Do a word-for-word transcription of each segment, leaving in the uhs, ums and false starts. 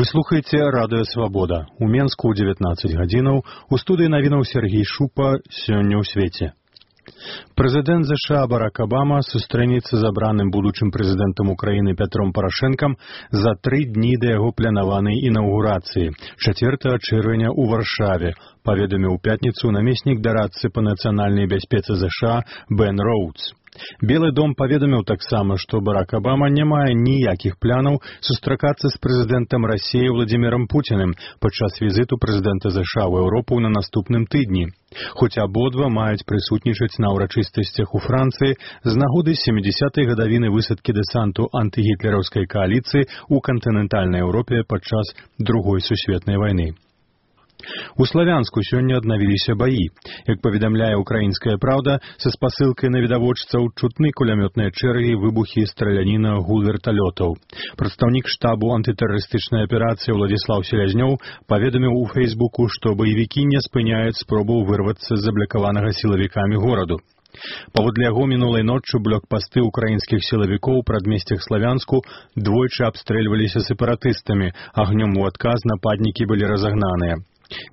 слухаеце радыё Свабода. У Менску ў дзевятнаццаць гадзінаў у студыі навінаў Сергей Шупа «Сёння ў свеце». Прэзідэнт ЗША Барак Абама сустрэнецца з абраным будучым прэзідэнтам Украіны Пятром Парашэнкам за тры дні да яго планаванай інаўгурацыі чацвёртага чэрвеня ў Варшаве, паведаміў у пятніцу намеснік дарадцы па нацыянальнай бяспецы ЗША Бен Роудс. Белы дом паведаміў таксама, што Барак Абама не мае ніякіх планаў сустракацца з прэзідэнтам Расіі Владзімірам Пуціным падчас візіту прэзідэнта ЗША ў Еўропу на наступным тыдні. Хоць абодва маюць прысутнічаць на ўрачыстасцях у Францыі з нагоды сямідзясятай гадавіны высадкі дэсанту антыгітлераўскай кааліцыі ў кантынентальнай Еўропе падчас Другой сусветнай вайны. У Славянску сёння аднавіліся баі. Як паведамляе «Украінская праўда», са спасылкай на відавочцаў чутны кулямётныя чэргі, выбухі, страляніна, гул верталётаў. Прадстаўнік штабу антытэрарыстычнай аперацыі Уладзіслаў Селязнёў паведаміў у Фейсбуку, што баевікі не спыняюць спробу вырвацца з заблакаванага сілавікамі гораду. Паводле яго мінулай ноччу блокпасты ўкраінскіх сілавікоў у прадмесцях Славянску двойчы абстрэльваліся сепаратыстамі, агнём у адказ нападнікі былі разагнаныя.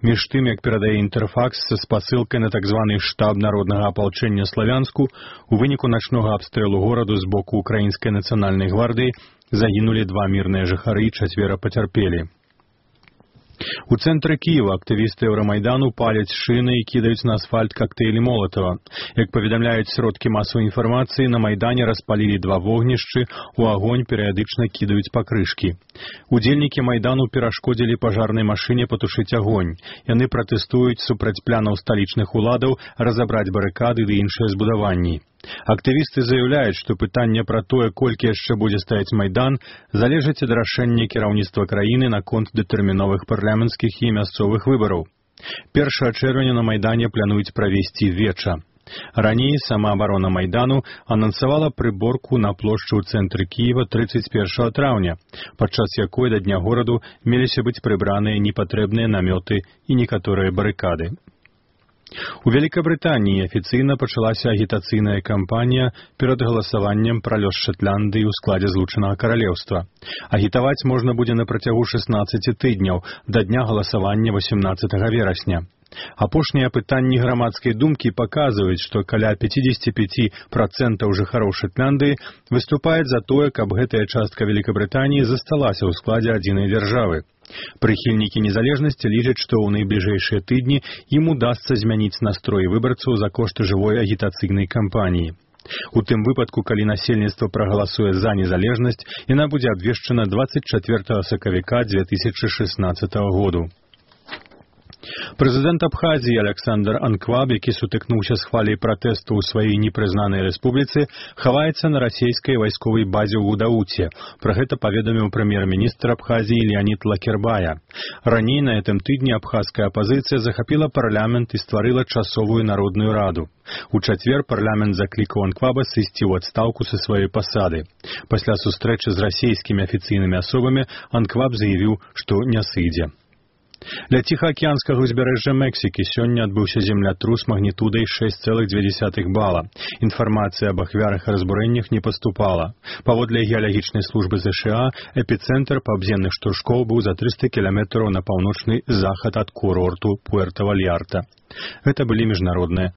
Між тым, як перадае Інтэрфакс са спасылкай на так званы штаб народнага апалчэння Славянску, у выніку начнога абстрэлу гораду з боку Украінскай нацыянальнай гвардыі загінулі два мірныя жыхары і чацвера пацярпелі. У цэнтры Кіева актывісты Еўрамайдану паляць шыны і кідаюць на асфальт кактэйлі Молатава. Як паведамляюць сродкі масавай інфармацыі, на Майдане распалілі два вогнішчы, у агонь перыядычна кідаюць пакрышкі. Удзельнікі Майдану перашкодзілі пажарнай машыне патушыць агонь. Яны пратэстуюць супраць планаў сталічных уладаў разабраць барыкады ды іншыя збудаванні. Актывісты заяўляюць, што пытанне пра тое, колькі яшчэ будзе стаяць Майдан, залежыць ад рашэння кіраўніцтва краіны наконт дэтэрміновых парламенцкіх і мясцовых выбараў. першага чэрвеня на Майдане плануюць правесці веча. Раней сама абарона Майдану анансавала прыборку на плошчы ў цэнтры Кіева трыццаць першага траўня, падчас якой да дня гораду меліся быць прыбраныя непатрэбныя намёты і некаторыя барыкады. У Вялікабрытаніі афіцыйна пачалася агітацыйная кампанія перад галасаваннем пра лёс Шатландыі ў складзе Злучанага Каралеўства. Агітаваць можна будзе на працягу шэснаццаці тыдняў да дня галасавання васемнаццатага верасня. Апошнія апытанні грамадскай думкі паказваюць, што каля пяцьдзесят пяць працэнтаў жыхароў Шатландыі выступаюць за тое, каб гэтая частка Вялікабрытаніі засталася ў складзе адзінай дзяржавы. Прыхільнікі незалежнасці лічаць, што ў найбліжэйшыя тыдні ім удасца змяніць настрой выбарцаў за кошт жывой агітацыйнай кампаніі. У тым выпадку, калі насельніцтва прагаласуе за незалежнасць, яна будзе абвешчана дваццаць чацвёртага сакавіка дзве тысячы шэснаццатага году. Прэзідэнт Абхазіі Аляксандр Анкваб, які сутыкнуўся з хваляй пратэсту ў сваёй непрызнанай рэспубліцы, хаваецца на расійскай вайсковай базе ў Гудауце. Пра гэта паведаміў прэм'ер-міністр Абхазіі Леонид Лакербая. Раней на гэтым тыдні абхазская апазіцыя захапіла парламент і стварыла часовую народную раду. У чацвер парламент заклікаў Анкваба сысці ў адстаўку са сваёй пасады. Пасля сустрэчы з расійскімі афіцыйнымі асобамі Анкваб заявіў, што не сыдзе. Ля ціхаакіянскага ўзбярэжжа Мексікі сёння адбыўся землятрус магнітудай шэсць цэлых дзве дзесятых бала. Інфармацыя аб ахвярах і разбурэннях не паступала. Паводле геалагічнай службы ЗША, эпіцэнтр паўземных штуршкоў быў за трыста кіламетраў на паўночны захад ад курорту Пуэрта-Вальярта. Гэта былі міжнародныя